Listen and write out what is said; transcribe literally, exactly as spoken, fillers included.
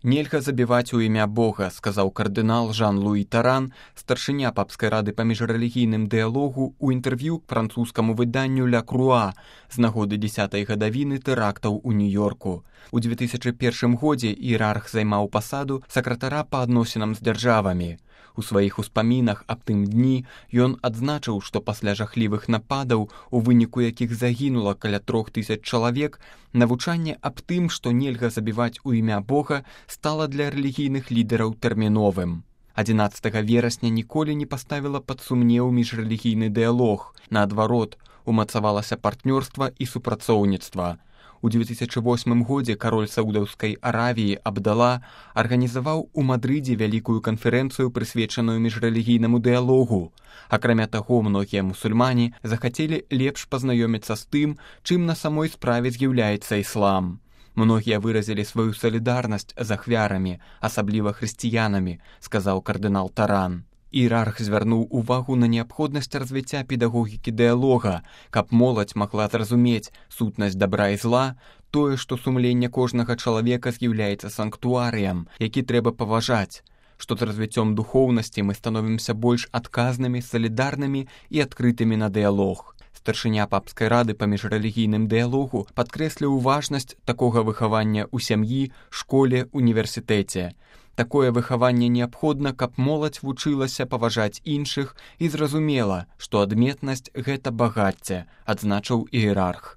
Нельга забіваць у імя Бога, сказаў кардынал Жан-Луі Таран, старшыня папскай рады па міжрэлігійным дыялогу ў інтэрв'ю к французскаму выданню «Ля Круа» з нагоды дзесятай гадавіны тэрактаў у Нью-Йорку. У дзве тысячы першым годзе іерарх займаў пасаду сакратара па адносінам з дзяржавамі. У сваіх успамінах аб тым дні ён адзначыў, што пасля жахлівых нападаў, у выніку якіх загінула каля трох тысяч чалавек, навучанне аб тым, што нельга забіваць у імя Бога, стала для рэлігійных лідараў тэрміновым. адзінаццатага верасня ніколі не паставіла пад сумнеў міжрэлігійны дыялог. Наадварот, умацавалася партнёрства і супрацоўніцтва. У дзве тысячы восьмым годзе кароль Саудаўскай Аравіі Абдала арганізаваў у Мадрыдзе вялікую канферэнцыю, прысвечаную міжрэлігійнаму дыялогу. Акрамя таго, многія мусульмане захацелі лепш пазнаёміцца з тым, чым на самой справе з'яўляецца іслам. Многія выразілі сваю салідарнасць з ахвярамі, асабліва хрысціянамі, сказаў кардынал Таран. Іерарх звярнуў увагу на неабходнасць развіцця педагогікі дыялога, каб моладзь магла зразумець сутнасць дабра і зла, тое, што сумленне кожнага чалавека з'яўляецца санктуарыям, які трэба паважаць, што з развіццём духоўнасці мы становімся больш адказнымі, салідарнымі і адкрытымі на дыялог. Старшыня папскай рады па міжрэлігійным дыялогу падкрэсліў важнасць такога выхавання ў сям'і, школе, універсітэце. Такое выхаванне неабходна, каб моладзь вучылася паважаць іншых і зразумела, што адметнасць – гэта багацце, адзначыў іерарх.